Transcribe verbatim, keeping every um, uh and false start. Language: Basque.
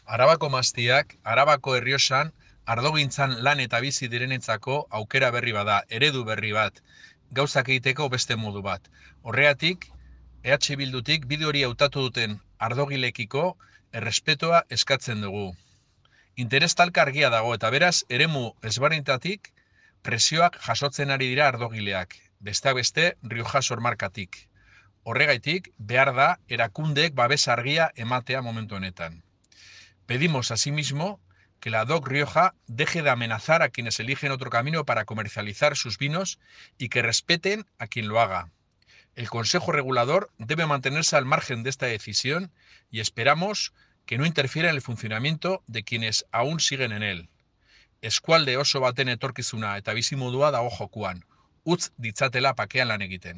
Arabako maztiak, Arabako Errioxan, ardogintzan lan eta bizi direnentzako aukera berri bada, eredu berri bat, gauzak egiteko beste modu bat. Horregatik, E H Bildutik bide hori hautatu duten ardogilekiko errespetoa eskatzen dugu. Interes talka argia dago eta beraz, eremu ezberdinetatik presioak jasotzen ari dira ardogileak, besteak beste Rioja Sormarkatik. Horregaitik, behar da erakundeek babes argia ematea momentu honetan. Pedimos asimismo que la D O C Rioja deje de amenazar a quienes eligen otro camino para comercializar sus vinos y que respeten a quien lo haga. El Consejo Regulador debe mantenerse al margen de esta decisión y esperamos que no interfiera en el funcionamiento de quienes aún siguen en él. Eskualde oso baten etorkizuna eta bizimodua dago jokoan. Utz ditzatela pakean lan egiten.